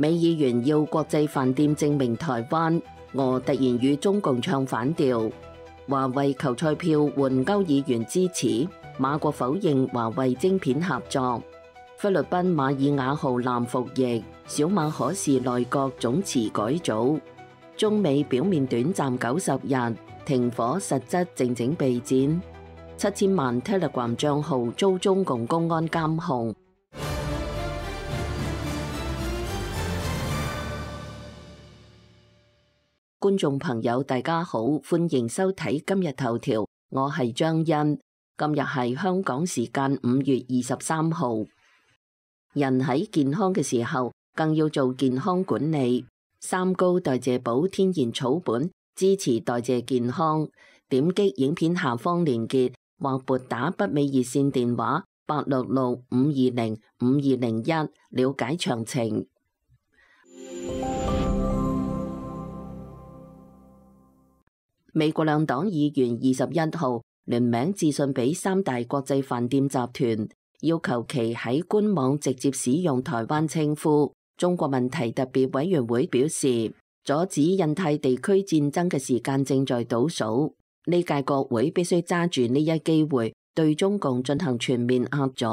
美議員要國際飯店證明台灣，俄突然與中共唱反調。華為球賽票換歐議員支持，馬國否認華為晶片合作。菲律賓馬爾瓦號艦服役，小馬可視內閣總辭改組。中美表面短暫90日停火，實質靜靜備戰。7000萬 Telegram 帳號遭中共公安監控。觀眾朋友大家好，歡迎收睇今日頭條，我係張欣。今日係香港時間5月23號。人喺健康嘅時候，更要做健康管理。三高代謝寶天然草本，支持代謝健康。點擊影片下方連結，或撥打北美熱線電話866-520-5201了解詳情。美國兩黨議員21號聯名致信俾三大國際飯店集團，要求其喺官網直接使用台灣稱呼。中國問題特別委員會表示，阻止印太地區戰爭嘅時間正在倒數，呢屆國會必須揸住呢一機會，對中共進行全面壓阻。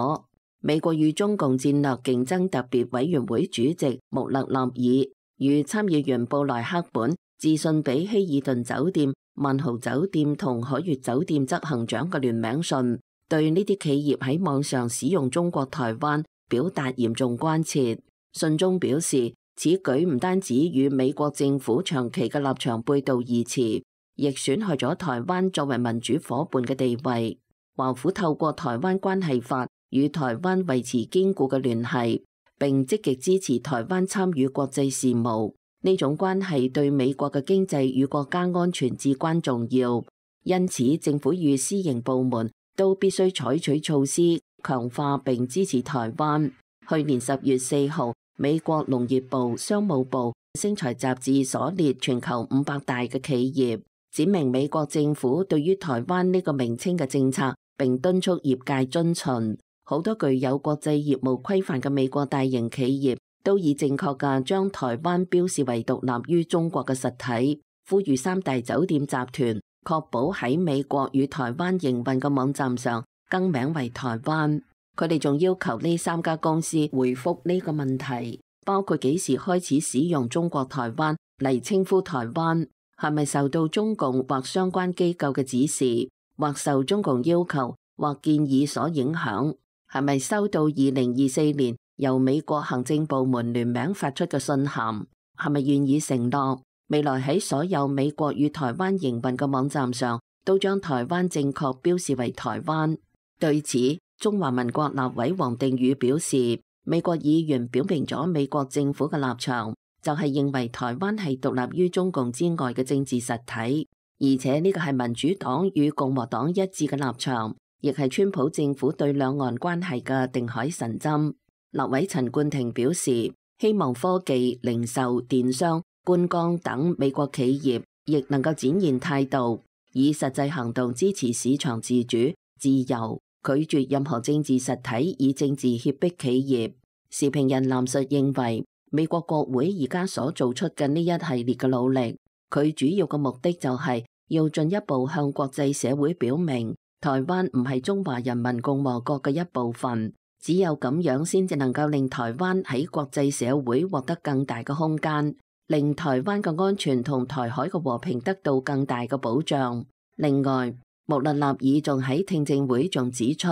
美國與中共戰略競爭特別委員會主席穆勒納爾與參議員布萊克本致信俾希爾頓酒店、萬豪酒店同海悅酒店執行長嘅聯名信，對呢啲企業喺網上使用中國台灣表達嚴重關切。信中表示，此舉唔單止與美國政府長期嘅立場背道而馳，亦損害咗台灣作為民主夥伴嘅地位。華府透過台灣關係法與台灣維持堅固嘅聯繫，並積極支持台灣參與國際事務。呢種關係對美國嘅經濟與國家安全至關重要，因此政府與私營部門都必須採取措施，強化並支持台灣。去年10月4號，美國農業部、商務部、星財雜誌所列全球500大嘅企業，指明美國政府對於台灣呢個名稱嘅政策，並敦促業界遵循。好多具有國際業務規範嘅美國大型企業都已正確嘅將台灣標示為獨立於中國嘅實體，呼籲三大酒店集團確保喺美國與台灣營運嘅網站上更名為台灣。佢哋仲要求呢三家公司回覆呢個問題，包括幾時開始使用中國台灣嚟稱呼台灣，係咪受到中共或相關機構嘅指示，或受中共要求或建議所影響，係咪收到2024年由美國行政部門聯名發出嘅信函，係咪願意承諾未來喺所有美國與台灣營運嘅網站上都將台灣正確標示為台灣。對此，中華民國立委王定宇表示，美國議員表明咗美國政府嘅立場，就係認為台灣係獨立於中共之外嘅政治實體，而且呢個係民主黨與共和黨一致嘅立場，亦係川普政府對兩岸關係嘅定海神針。立委陳冠廷表示，希望科技、零售、電商、觀光等美國企業亦能夠展現態度，以實際行動支持市場自主、自由，拒絕任何政治實體以政治脅迫企業。時評人藍述認為，美國國會而家所做出嘅呢一系列嘅努力，佢主要嘅目的就係要進一步向國際社會表明，台灣唔係中華人民共和國嘅一部分。只有咁樣先至能夠令台灣喺國際社會獲得更大嘅空間，令台灣嘅安全同台海嘅和平得到更大嘅保障。另外，穆勒納爾仲喺聽證會仲指出，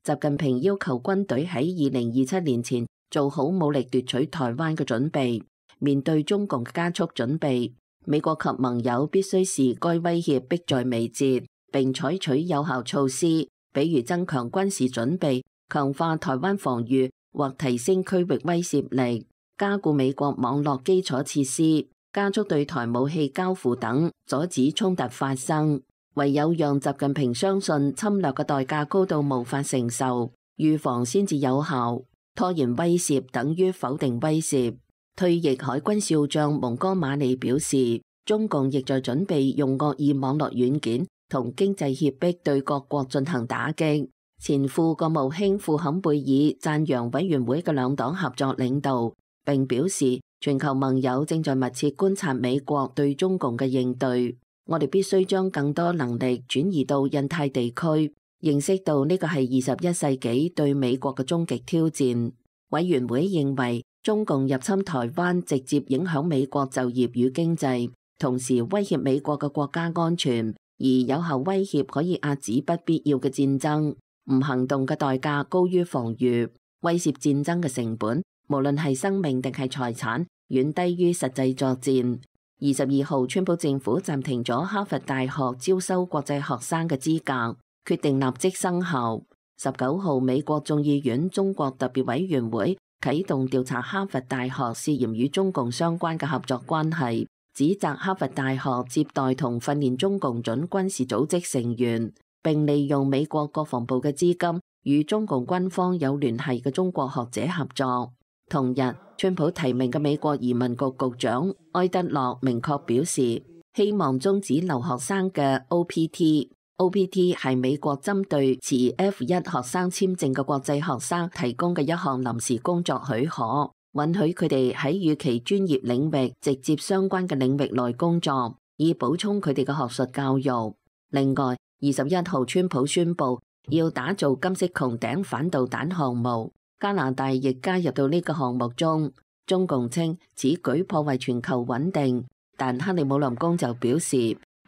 習近平要求軍隊喺2027年前做好武力奪取台灣嘅準備。面對中共嘅加速準備，美國及盟友必須視該威脅迫在眉睫，並採取有效措施，比如增強軍事準備，強化台灣防禦或提升區域威懾力，加固美國網絡基礎設施，加速對台武器交付等，阻止衝突發生。唯有讓習近平相信侵略嘅代價高到無法承受，預防先至有效。拖延威懾等於否定威懾。退役海軍少將蒙哥馬利表示，中共亦在準備用惡意網絡軟件同經濟脅迫對各國進行打擊。前副國務卿庫坎貝爾讚揚委員會嘅兩黨合作領導，並表示全球盟友正在密切觀察美國對中共嘅應對。我哋必須將更多能力轉移到印太地區，認識到呢個係21世紀對美國嘅終極挑戰。委員會認為，中共入侵台灣直接影響美國就業與經濟，同時威脅美國嘅國家安全，而有效威脅可以遏止不必要嘅戰爭。唔行動嘅代價高於防禦，威懾戰爭嘅成本，無論係生命定係財產，遠低於實際作戰。22號，川普政府暫停咗哈佛大學招收國際學生嘅資格，決定立即生效。19號，美國眾議院中國特別委員會啟動調查哈佛大學涉嫌與中共相關嘅合作關係，指責哈佛大學接待同訓練中共準軍事組織成員，並利用美國國防部嘅資金與中共軍方有聯繫嘅中國學者合作。同日，川普提名嘅美國移民局局長埃德洛明確表示，希望終止留學生嘅 OPT。OPT 係美國針對持 F1 學生簽證嘅國際學生提供嘅一項臨時工作許可，允許佢哋喺與其專業領域直接相關嘅領域內工作，以補充佢哋嘅學術教育。另外，21號，川普宣布要打造金色穹頂反導彈項目，加拿大亦加入到呢個項目中。中共稱此舉破壞全球穩定，但克里姆林宮就表示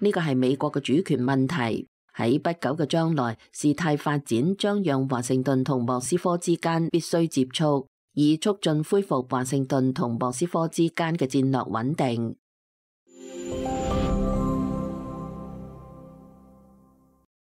呢個係美國嘅主權問題。喺不久嘅將來，事態發展將讓華盛頓同莫斯科之間必須接觸，以促進恢復華盛頓同莫斯科之間嘅戰略穩定。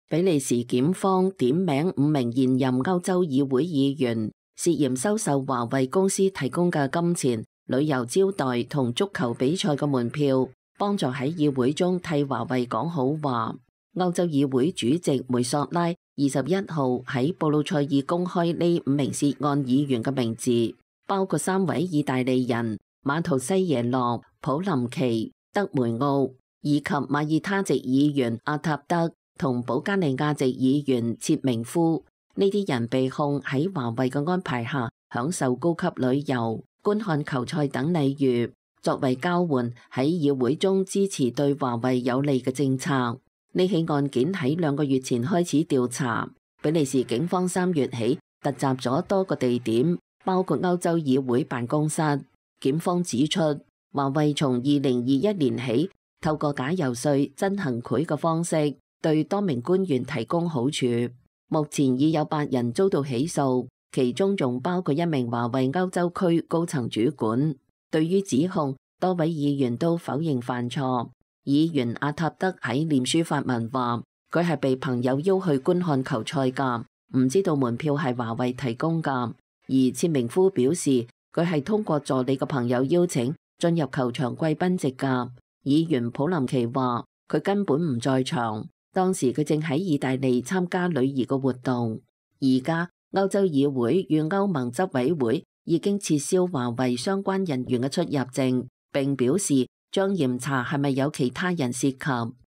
比利時檢方點名5名現任歐洲議會議員，涉嫌收受華為公司提供嘅金錢、旅遊招待同足球比賽嘅門票，幫助喺議會中替華為講好話。歐洲議會主席梅索拉21號喺布魯塞爾公開呢5名涉案議員嘅名字，包括3位意大利人馬圖西耶諾、普林奇、德梅奧，以及馬爾他籍議員阿塔德同保加利亞籍議員切明夫。呢啲人被控喺華為嘅安排下享受高級旅遊、觀看球賽等禮遇，作為交換喺議會中支持對華為有利嘅政策。呢起案件喺2個月前開始調查，比利時警方3月起突襲咗多個地點，包括歐洲議會辦公室。檢方指出，華為從2021年起透過假遊說、真行賄嘅方式，對多名官員提供好處。目前已有8人遭到起訴，其中仲包括1名華為歐洲區高層主管。對於指控，多位議員都否認犯錯。議員阿塔德喺臉書發文話，佢係被朋友邀去觀看球賽㗎，唔知道門票係華為提供㗎。而切明夫表示，佢係通過助理嘅朋友邀請進入球場貴賓席㗎。議員普林奇話，佢根本唔在場。當時佢正喺意大利參加女兒嘅活動。而家歐洲議會與歐盟執委會已經撤銷華為相關人員嘅出入證，並表示將嚴查係咪有其他人涉及。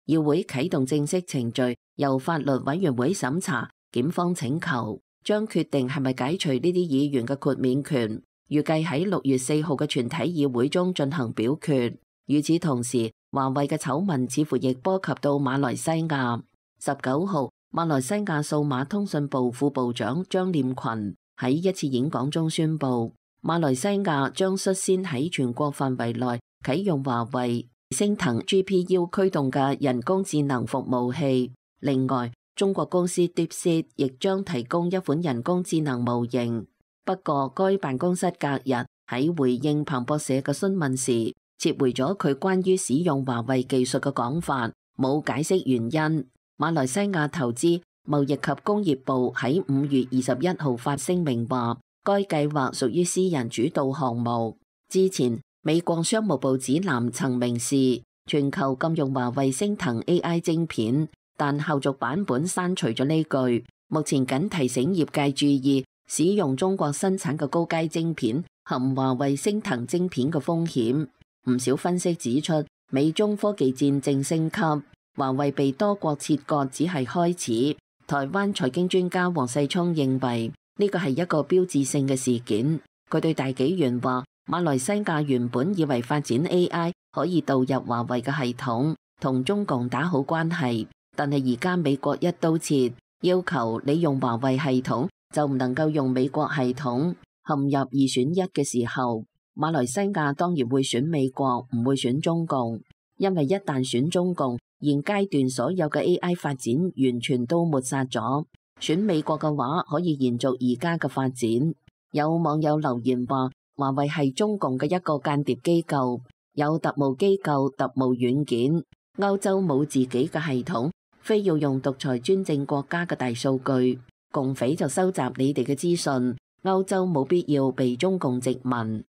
議會啟動正式程序，由法律委員會審查。檢方請求將決定係咪解除呢啲議員嘅豁免權，預計喺6月4號嘅全體議會中進行表決。與此同時，華為嘅醜聞似乎亦波及到馬來西亞。19號，馬來西亞數碼通訊部副部長張念群喺一次演講中宣布，馬來西亞將率先喺全國範圍內啟用華為升騰 GPU 驅動嘅人工智能服務器。另外，中國公司 DeepSeek 亦將提供一款人工智能模型。不過，該辦公室隔日喺回應彭博社嘅詢問時，撤回咗佢關於使用華為技術嘅講法，冇解釋原因。馬來西亞投資、貿易及工業部喺5月21號發聲明話，該計劃屬於私人主導項目。之前，美國商務部指南曾明示全球禁用華為升騰 AI 晶片，但後續版本刪除咗呢句。目前僅提醒業界注意使用中國生產嘅高階晶片含華為升騰晶片嘅風險。唔少分析指出，美中科技戰正升級，華為被多國切割只係開始。台灣財經專家黃世聰認為呢個係一個標誌性嘅事件。佢對大紀元話，馬來西亞原本以為發展 AI 可以導入華為嘅系統，同中共打好關係，但係而家美國一刀切，要求你用華為系統就唔能夠用美國系統，陷入二選一嘅時候，馬來西亞當然會選美國，唔會選中共，因為一旦選中共，現階段所有嘅 AI 發展完全都抹殺咗。選美國嘅話，可以延續而家嘅發展。有網友留言話，華為係中共嘅一個間諜機構，有特務機構、特務軟件。歐洲冇自己嘅系統，非要用獨裁專政國家嘅大數據，共匪就收集你哋嘅資訊。歐洲冇必要被中共殖民。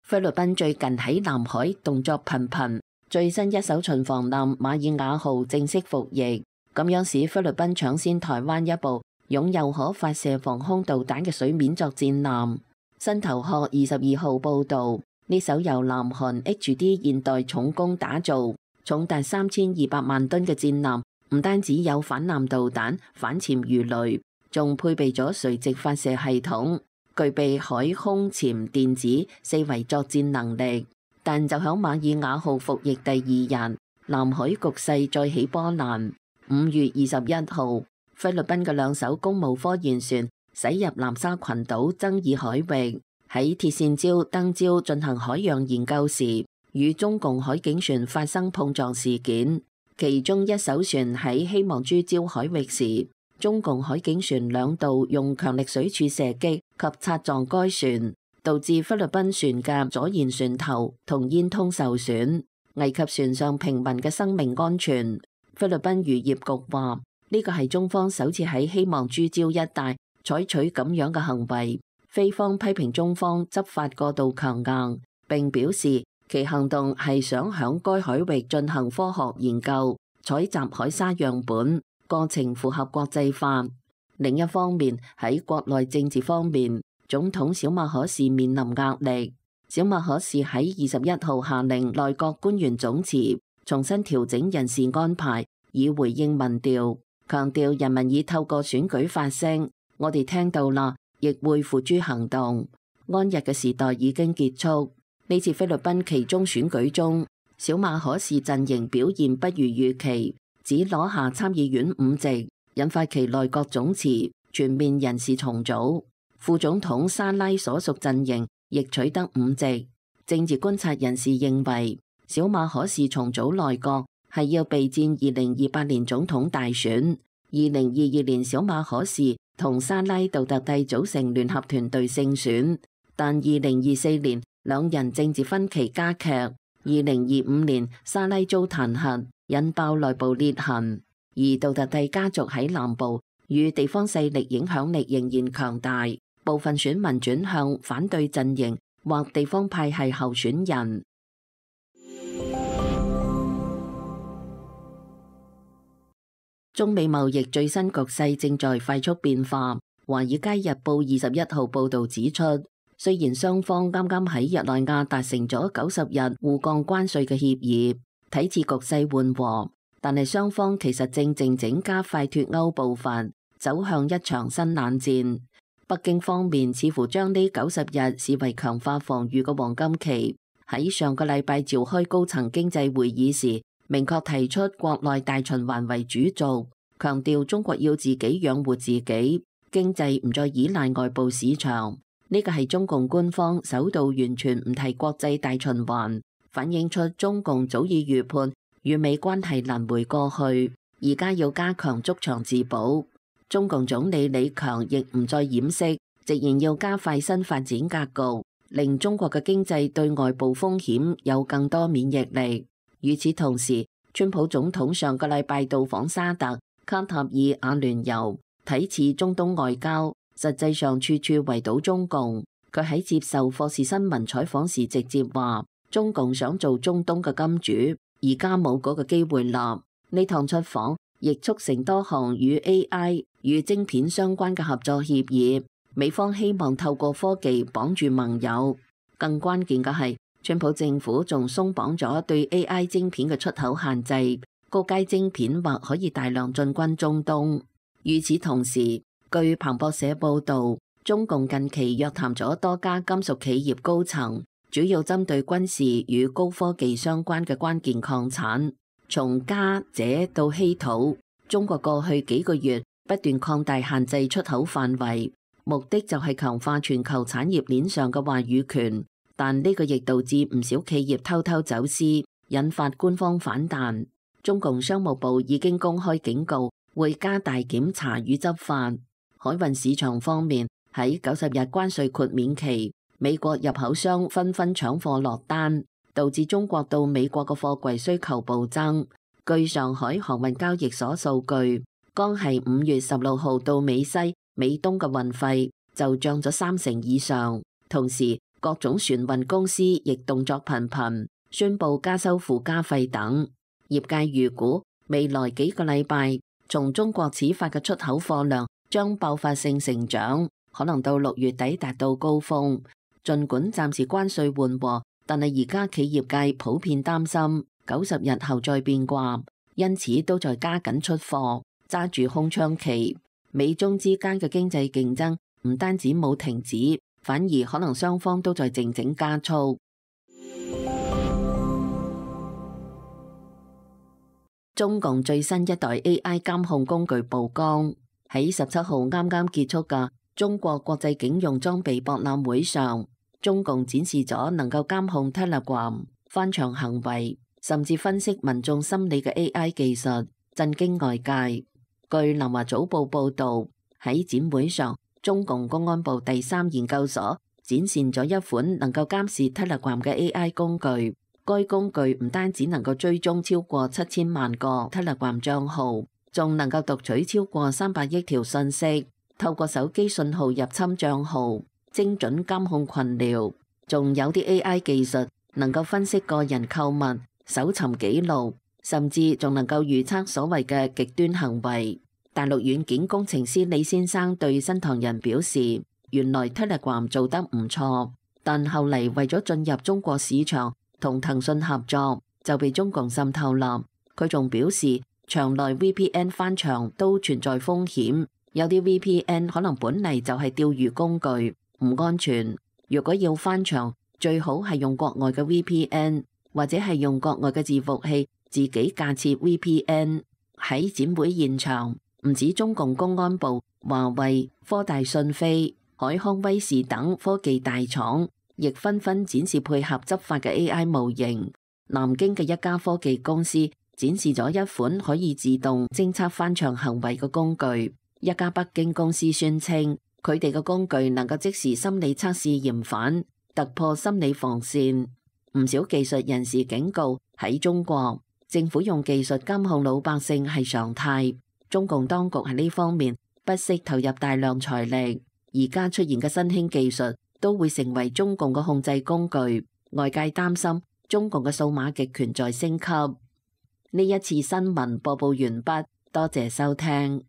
菲律賓最近喺南海動作頻頻。最新一艘巡防艦馬爾瓦號正式服役，咁樣使菲律賓搶先台灣一步，擁有可發射防空導彈嘅水面作戰艦。新頭殼22號報導，呢艘由南韓 HD 現代重工打造、重達3200萬噸嘅戰艦，唔單止有反艦導彈、反潛魚雷，仲配備咗垂直發射系統，具備海空潛電子四維作戰能力。但就響馬爾瓦號服役第2日，南海局勢再起波瀾。5月21號，菲律賓嘅2艘公務科研船駛入南沙群島爭議海域，喺鐵線礁登礁進行海洋研究時，與中共海警船發生碰撞事件。其中一艘船喺希望珠礁海域時，中共海警船2度用強力水柱射擊及擦撞該船，導致菲律賓船嘅左舷船頭同煙通受損，危及船上平民嘅生命安全。菲律賓漁業局話，呢個係中方首次喺希望珠礁一帶採取咁樣嘅行為。菲方批評中方執法過度強硬，並表示其行動係想響該海域進行科學研究，採集海沙樣本，過程符合國際法。另一方面，喺國內政治方面，總統小馬可仕面臨壓力。小馬可仕喺21號下令內閣官員總辭，重新調整人事安排，以回應民調，強調人民已透過選舉發聲，我哋聽到啦，亦會付諸行動。安逸嘅時代已經結束。呢次菲律賓期中選舉中，小馬可仕陣營表現不如預期，只攞下參議院5席，引發其內閣總辭，全面人事重組。副總統沙拉所屬陣營亦取得5席。政治觀察人士認為，小馬可仕重組內閣係要備戰2028年總統大選。2022年小馬可仕同沙拉杜特蒂組成聯合團隊勝選，但2024年兩人政治分歧加劇。2025年沙拉遭彈劾，引爆內部裂痕，而杜特蒂家族喺南部與地方勢力影響力仍然強大。部分選民轉向反對陣營或地方派系候選人。中美貿易最新局勢正在快速變化。華爾街日報21號報導指出，雖然雙方啱啱喺日內瓦達成咗90日互降關稅嘅協議，睇似局勢緩和，但係雙方其實正靜靜加快脫歐步伐，走向一場新冷戰。北京方面似乎將呢90日視為強化防禦嘅黃金期，喺上個禮拜召開高層經濟會議時，明確提出國內大循環為主軸，強調中國要自己養活自己，經濟唔再依賴外部市場。呢個係中共官方首度完全唔提國際大循環，反映出中共早已預判與美關係難回過去，而家要加強築牆自保。中共總理李強亦唔再掩飾，直言要加快新發展格局，令中國嘅經濟對外部風險有更多免疫力。與此同時，川普總統上個禮拜到訪沙特、卡塔爾、阿聯酋，睇似中東外交，實際上處處圍堵中共。佢喺接受霍士新聞採訪時直接話，中共想做中東嘅金主，而家冇嗰個機會啦。呢趟出訪亦促成多項與 AI 與晶片相關嘅合作協議，美方希望透過科技綁住盟友。更關鍵嘅係，川普政府仲鬆綁咗對 AI 晶片嘅出口限制，高階晶片或可以大量進軍中東。與此同時，據彭博社報導，中共近期約談咗多家金屬企業高層，主要針對軍事與高科技相關嘅關鍵礦產，從鎵、鍺到稀土。中國過去幾個月不斷擴大限制出口範圍，目的就係強化全球產業鏈上嘅話語權。但呢個亦導致唔少企業偷偷走私，引發官方反彈。中共商務部已經公開警告，會加大檢查與執法。海運市場方面，喺90日關稅豁免期，美國入口商紛紛搶貨落單，導致中國到美國嘅貨櫃需求暴增。據上海航運交易所數據，光係5月16號到美西、美東嘅運費就漲咗30%以上。同時，各種船運公司亦動作頻頻，宣布加收附加費等。業界預估未來幾個禮拜，從中國始發嘅出口貨量將爆發性成長，可能到6月底達到高峰。儘管暫時關稅緩和，但係而家企業界普遍擔心90日後再變卦，因此都在加緊出貨，揸住空窗期。美中之間嘅經濟競爭唔單止冇停止，反而可能雙方都在靜靜加速。中共最新一代 AI 監控工具曝光，喺17號啱啱結束嘅中國國際警用裝備博覽會上，中共展示咗能夠監控 Telegram 翻牆行為，甚至分析民眾心理嘅 AI 技術，震驚外界。據南華早報報導，喺展會上，中共公安部第3研究所展示咗一款能夠監視 Telegram 嘅 AI 工具。該工具唔單止能夠追蹤超過7000萬個 Telegram 帳號，仲能夠讀取超過300億條信息，透過手機信號入侵帳號，精準監控群聊。仲有啲 AI 技術能夠分析個人購物、搜尋記錄，甚至仲能夠預測所謂嘅極端行為。大陸軟件工程師李先生對新唐人表示，原來 Telegram 做得唔錯，但後嚟為咗進入中國市場同騰訊合作，就被中共滲透啦。佢仲表示，場內 VPN 翻牆都存在風險，有啲 VPN 可能本嚟就係釣魚工具，唔安全。如果要翻牆，最好係用國外嘅 VPN， 或者係用國外嘅伺服器自己架設 VPN。喺展會現場，唔止中共公安部、華為、科大訊飛、海康威視等科技大廠，亦紛紛展示配合執法嘅 AI 模型。南京嘅一家科技公司展示咗一款可以自動偵測翻牆行為嘅工具。一家北京公司宣稱，佢哋嘅工具能夠即時心理測試嫌犯，突破心理防線。唔少技術人士警告，喺中國，政府用技術監控老百姓係常態。中共當局喺呢方面不惜投入大量財力。而家出現嘅新興技術都會成為中共嘅控制工具。外界擔心中共嘅數碼極權在升級。呢一次新聞播報完畢，多謝收聽。